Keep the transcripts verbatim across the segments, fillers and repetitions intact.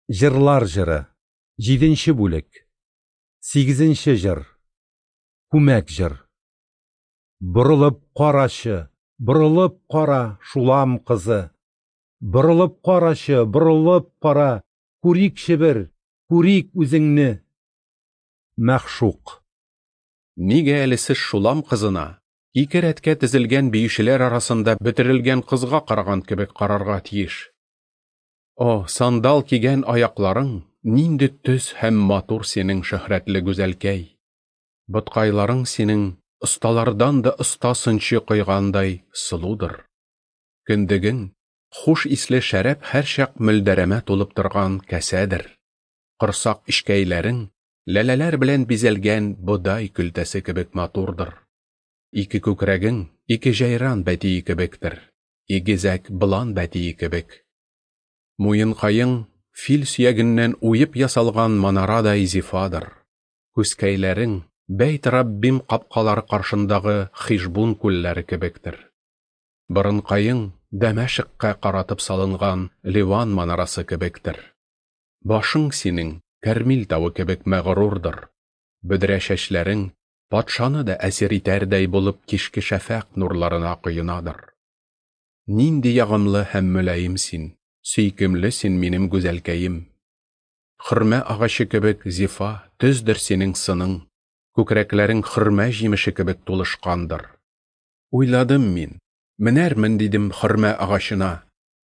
Җырлар җыры. Җиденче бүлек. Сигезенче җыр. Күмәк җыр. Борылып карачы, борылып кара, Шулам кызы. Борылып карачы, борылып кара, күрикче бер, күрик үзеңне. Мәгъшук. Нигә әле сез Шулам кызына, ике рәткә тезелгән биючеләр арасында бөтерелгән кызга караган кебек карарга тиеш? О, сандал кигән аякларың нинди төз һәм матур синең, шөһрәтле гүзәлкәй! Боткайларың синең осталардан да оста сынчы койгандай сылудыр. Кендегең хуш исле шәраб һәрчак мөлдәрәмә тулып торган кәсәдер. Корсак эчкәйләрең ләләләр белән бизәлгән бодай көлтәсе кебек матурдыр. Ике күкрәгең ике җәйран бәтие кебектер, игезәк болан бәтие кебек. Муенкаең фил сөягеннән уеп ясалган манарадай зифадыр. Күзкәйләрең Бәйт Раббим капкалары каршындагы Хишбун күлләре кебектер. Борынкаең Дәмәшеккә каратып салынган Ливан манарасы кебектер. Башың синең Кәрмил тавы кебек мәгърурдыр. Бөдрә чәчләрең патшаны да әсир итәрдәй булып кичке шәфәкъ нурларына коенадыр. Нинди ягымлы һәм мөлаем син, сөйкемле син минем гүзәлкәем. Хөрмә агачы кебек зифа, төздер синең сының, күкрәкләрең хөрмә җимеше кебек тулышкандыр. Уйладым мин, менәрмен дидем хөрмә агачына,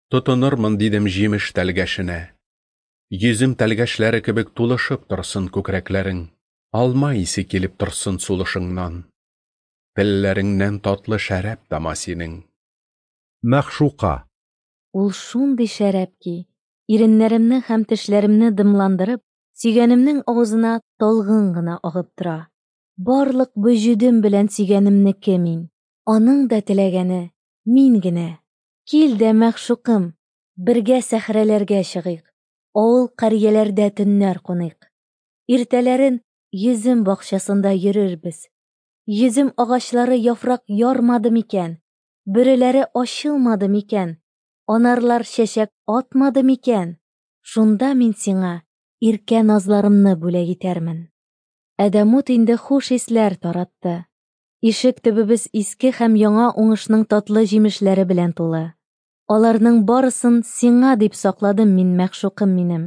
тотынырмын дидем җимеш тәлгәшенә. Йөзем тәлгәшләре кебек тулышып торсын күкрәкләрең, алма исе килеп торсын сулышыңнан. Телләреңнән татлы шәраб тама синең. Мәгъшука. Ул шундый шәраб ки, иреннәремне һәм тешләремне дымландырып, сөйгәнемнең авызына талгын гына агып тора. Барлык вөҗүдем белән сөйгәнемнеке мин. Аның да теләгәне мин генә. Кил дә, мәгъшукым, бергә сәхрәләргә чыгыйк, авыл карьяләрдә төннәр куныйк. Иртәләрен йөзем бакчасында йөрербез. Йөзем агачлары яфрак ярмады микән, бөреләре ачылмады микән, анарлар чәчәк атмады микән? Шунда мин сиңа иркә назларымны бүләк итәрмен. Әдәмут инде хуш исләр таратты. Ишек төбебез иске һәм яңа уңышның татлы җимешләре белән тулы. Аларның барысын сиңа дип сакладым мин, мәгъшукым минем.